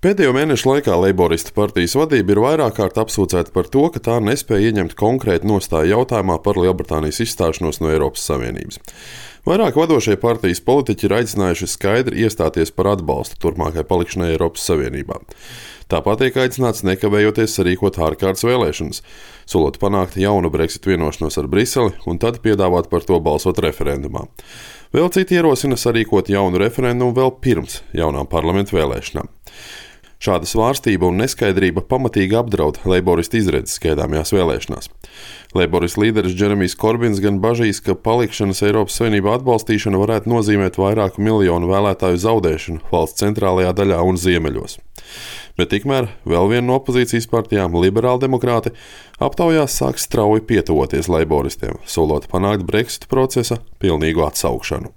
Pēdējo mēnešu laikā Leiboristu partijas vadība ir vairāk kārt apsūdzēta par to, ka tā nespēja ieņemt konkrētu nostāju jautājumā par Lielbritānijas izstāšanos no Eiropas Savienības. Vairāk vadošie partijas politiķi ir aicinājuši skaidri iestāties par atbalstu turpmākai palikšanai Eiropas Savienībā. Tāpat tiek aicināts nekavējoties sarīkot ārkārtas vēlēšanas, solot panākt jaunu Brexit vienošanos ar Briseli un tad piedāvāt par to balsot referendumā. Vēl citi ierosina sarīkot jaunu referendumu vēl pirms jaunām parlamentu vēlēšanām. Šāda svārstība un neskaidrība pamatīgi apdraud Leiboristu izredzes gaidāmajās vēlēšanās. Leiboristu līderis Džeremijs Korbins gan bažīs, ka palikšanas Eiropas Savienībā atbalstīšana varētu nozīmēt vairāku miljonu vēlētāju zaudēšanu valsts centrālajā daļā un ziemeļos. Bet tikmēr vēl viena no opozīcijas partijām, liberāldemokrāti, aptaujās sāk strauji pietuvoties leiboristiem, solot panākt Brexit procesa pilnīgu atsaukšanu.